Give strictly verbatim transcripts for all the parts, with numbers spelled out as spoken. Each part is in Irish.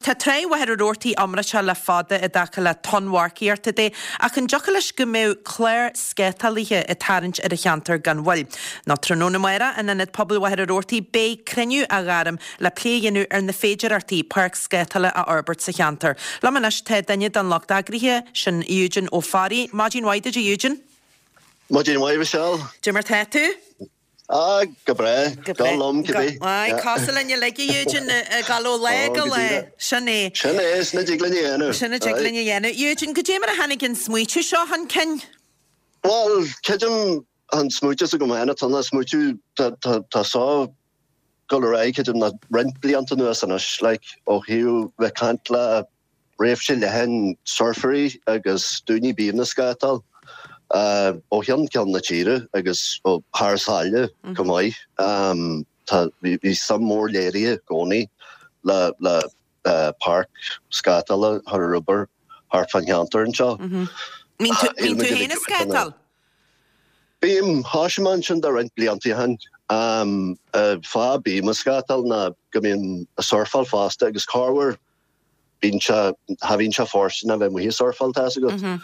Tá Trá Mhachaire Rabhartaigh iomráiteach le fada i dtaca le tonnmharcaíochta de, ach an dtiocfadh leis go mbeadh clár scátálaithe ag tarraingt ar an cheantar gan mhoill? Nó tráthnóna amárach in Ionad Pobail Mhachaire Rabhartaigh beidh cruinniú á ghairm le plé a dhéanamh ar na féidearthachtaí páirc scátála a fhorbairt sa cheantar. Liom anois tá duine den lucht eagraithe, sin Eugene Ó Fearraigh. Maidin mhaith duit a Eugene. Maidin mhaith Michelle. Cad é mar tá tú? Ah, go breá. Go liom cibé. Aye, cosúil linn uilig a Eugene ag dul ó lá go lá. Sin é. Sin é, sin a dtig linn a dhéanamh. Sin a dtig linn a dhéanamh. Eugene, cad é mar a tháinig an smaoitiú seo chun cinn? Well, creidim an smaoitiú s'agam féin atá an smaoitiú tá seo ag dul ar aghaidh creidim le roinnt blianta anuas anois, like, ó thaobh bheith caint le réimse leathan surfairí agus daoine bíonn ag scátáil ó cheann ceann na tíre agus ó thar sáile go maith. Tá bhí suim mór léirithe i gcónaí le le páirc scátála a chur ar obair thart fán cheantar anseo. Mbíonn tú féin ag scátáil? Bím, thosaigh mé ansin de roinnt blianta ó shin. Fáth bím ag scátáil ná go mbím ag surfáil fosta agus corruair bíonn sé, cha bhíonn sé fóirsteanach bheith amuigh ag surfáil, tá's agat.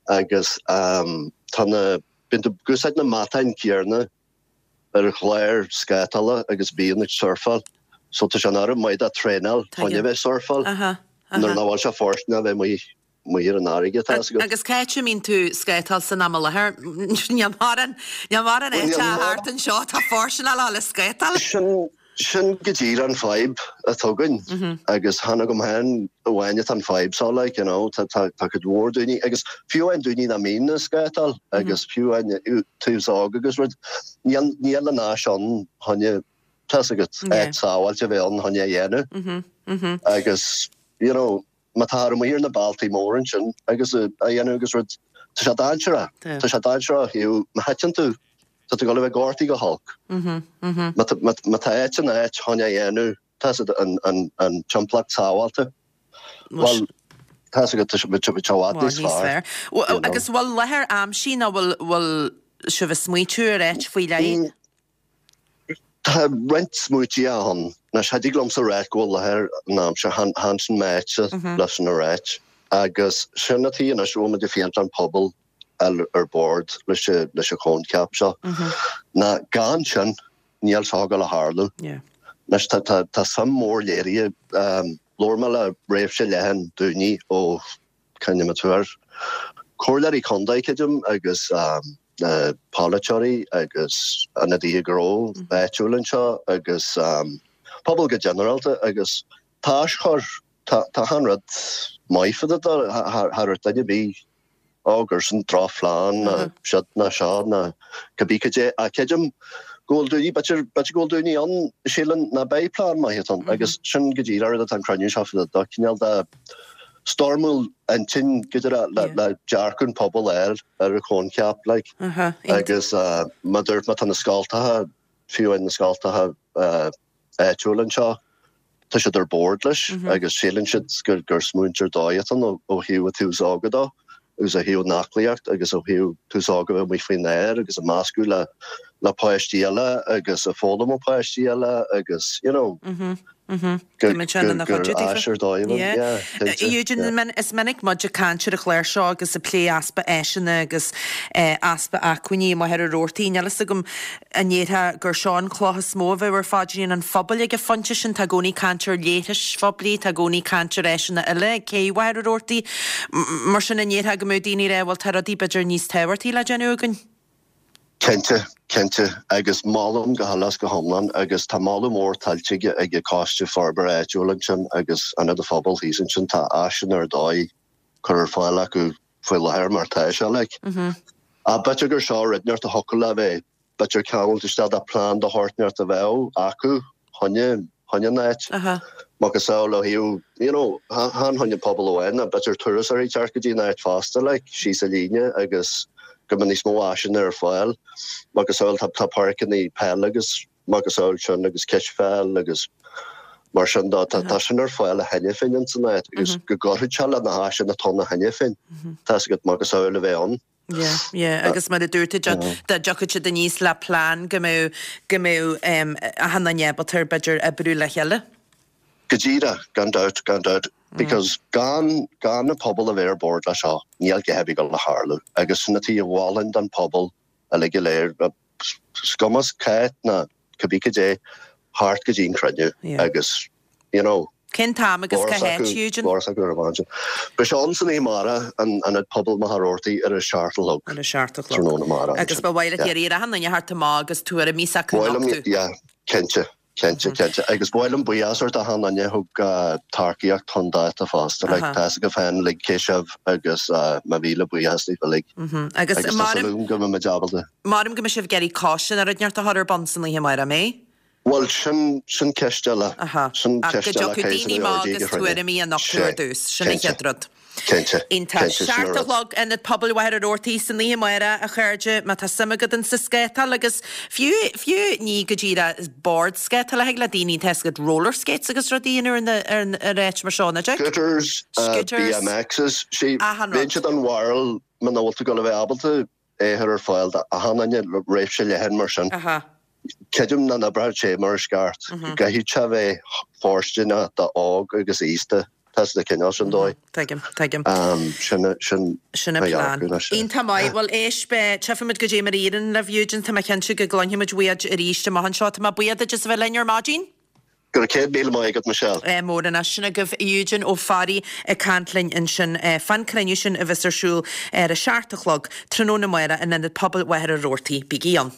Agus tá na, bíonn tú ag úsáid na matáin céarna ar an chlár scátála agus bíonn ag surfáil. So tá sé an oiread maith do traenáil chun a bheith ag surfáil nuair nach bhfuil sé fóirsteanach bheith amuigh amuigh ar an fharraige, tá's agat. Agus cá háit a mbíonn tú ag scátáil san am i láthair? Níl mórán, níl mórán áite thart anseo atá fóirsteanach le scátáil. Sin, sin go díreach an fadhb atá againn agus chan agam féin amháin atá an fadhb seo like, you know, tá, tá, tá cuid mhór daoine agus fiú amháin daoine nach mbíonn ag scátáil agus fiú amháin tús óg agus rud, níl, níl an áis ann chun, tá's agat, áit sábháilte a bheith ann chun é a dhéanamh agus, you know, má tá amuigh ar na bealtaí móra ansin agus a dhéanamh agus rud, tá sé dainséarach. Tá sé dainséarach ó thaobh má thiteann tú, tá tú ag dul a bheith gortaithe go holc. Má tá áit in áit chun é a dhéanamh, tá an an timpeallacht sábháilte. Bhuel, tá's agat, tá sé i bhfad níos fearr. Agus bhfuil láthair aimsithe nó bhfuil sibh ag smaoitiú ar áit faoi leith? Tá roinnt smaoití ann. Anois, cha dtig liomsa a ráit go bhfuil láthair aimsithe, chan sin m'áitse leis sin a ráit. Agus sin an tuige anois a bhfuil muid ag féachaint an pobal a fháil ar bord leis an leis an choincheap seo. Ná gan sin, níl seo ag dul a tharlú. Anois, tá tá tá suim mór léirithe, labhair mé le réimse leathan daoine ó cá mbeadh tú ar comhairleoirí contae, creidim, agus na polaiteoirí agus ionadaithe gnó áitiúil anseo agus pobal go ginearálta agus tá aschur, tá achan rud maith fá dtaobh de, cha raibh duine ar bith ó gur sin drochphlean ná siod ná seo ná cibé cad é ach creidim go bhfuil daoine, b'fhéidir, b'fhéidir go bhfuil daoine ann a síleann ná beidh plean maith ann agus sin go díreach rud atá an cruinniú seo fá dtaobh de, cineál de stormáil intinn go díreach le le dearcadh an pobail a fháil ar an choincheap like agus mar a dúirt mé tá na scoltacha, fiú amháin na scoltacha áitiúil anseo, tá siad ar bord leis agus síleann siad gur gur smaointe ar dóigh atá ann ó thaobh an tús óga dó agus ó thaobh an aclaíocht agus ó thaobh tús óga a bheith amuigh faoin aer agus ag meascadh le le páistí eile agus ag foghlaim ó páistí eile agus you know gur áis ar dóigh yeah Eugene, is minic muid ag caint ar an chlár seo agus ag plé easpa áiseanna agus easpa acmhainní i Machaire Rabhartaigh. Níl fhios agam an ndéarfá gur seo an chloch is mó a bheadh ar phaidrín an phobail ag an phointe sin. Tá i gcónaí caint ar leithris phoiblí, tá i gcónaí caint ar áiseanna eile ag cé Mhachaire Rabhartaigh. Mar sin an ndéarfá go mbeadh daoine ag rá bhuel tá rudaí b'fhéidir níos tábhachtaí le déanamh againn? Cinnte, cinnte, agus molaim go huile is go hiomlán, agus tá moladh mór tuillte ag an Coiste Forbartha Áitiúil ansin agus Ionad an Phobail thíos ansin, tá áiseanna ar dóigh curtha ar fáil acu faoi láthair mar tá sé, like. Ach b'fhéidir gur seo rud inteacht a thiocfadh le bheith, b'fhéidir ceangailte isteach de plean de shórt inteacht a bheadh acu choinne, choinne an áit. Macasamhail ó thaobh, you know, chan choinne pobal amháin ach b'fhéidir turasóirí teacht go dtí an áit fosta, like, síos an líne agus go mbeadh níos mó áiseanna ar fáil. Macasamhail tá, tá páirceanna peile agus macasamhail sin agus cispheil agus mar sin de, tá, tá sin ar fáil cheana féin ins an áit agus go gcuirfeadh sé le na háiseanna atá ann cheana féin, tá's agat macasamhail a bheith ann. Yeah, yeah, agus mar a dúirt tú, dá dtiocfadh siad aníos le plean go mbeadh, go mbeadh achan duine ábalta b'fhéidir oibriú le chéile. Go díreach, gan dabht, gan dabht, because gan gan an pobal a bheith ar bord leis seo, níl a dhath ar bith ag dul a tharlú. Agus sin an tuige a mholfainn don pobal uilig go léir, is cuma cá háit ná cibé cad é, theacht go dtí an cruinniú agus, you know, Cén t-am agus cá háit, Eugene? Glór s'acu ar an bhfón. Beidh sé ann san oíche amárach in Ionad Pobail Mhachaire Rabhartaigh ar a seacht a chlog. Ar a seacht a chlog. Tráthnóna amárach. Agus ba mhaith leat iarraidh ar achan duine theacht amach agus tuairimí s'acu a nochtadh. Yeah, cinnte. Cinnte, cinnte. Agus ba mhaith liom buíochas a thabhairt d'achan duine a thug tacaíocht chun dáta fosta. Like, tá fhios agaibh féin uilig cé sibh agus mo mhíle buíochas daoibh uilig. Agus Agus tá súil agam go mbeidh muid ábalta. Maram go mbeidh sibh ag iarraidh coiste nó rud inteacht a chur ar bun san oíche amárach, an mbeidh? Bhuel, sin, sin ceist eile. Aha. Sin Ach go ceist eile dtiocfadh daoine amach agus tuairimí a nochtadh ar dtús. Sin an chéad rud. Cinnte. Iontach. Cinnte, sin Seacht an a rud. chlog, Ionad Pobail Mhachaire Rabhartaigh san oíche amárach, a chairde, má tá suim agat in sa scátáil agus fiú, fiú ní go díreach bord scátála, thig le daoine tá fhios agat roller skates agus rudaí in ar an, ar an, ar áit mar seo, nach dtig? Scooters, Scooters. BMXs. See, Achan rud. bheinnse den bharúil muna bhfuil tú ag dul a bheith ábalta é a chur ar fáil d'achan duine le réimse leathan mar sin. Aha. Creidim nach n-oibreoidh sé mar is ceart. Caithfidh sé a bheith fóirsteanach d'óg agus aosta, tá sa cineál sin dóigh. Tuigim, tuigim. Sin, sin Sin an mo plean. dhearcadh leis. Iontach maith. Bhuel, éist, beidh, tchífimid goidé mar a éiríonn libh, Eugene, tá mé cinnte go gcluinfimid uait arís amach anseo. Tá mé buíoch duit as a bheith linn ar maidin. Go raibh céad míle maith agat, Michelle. Mór anois. Sin agaibh Eugene Ó Fearraigh ag caint linn ansin fán cruinniú sin a bheas ar siúl ar a seacht a chlog tráthnóna amárach in Ionad Pobail Mhachaire Rabhartaigh. Bígí ann.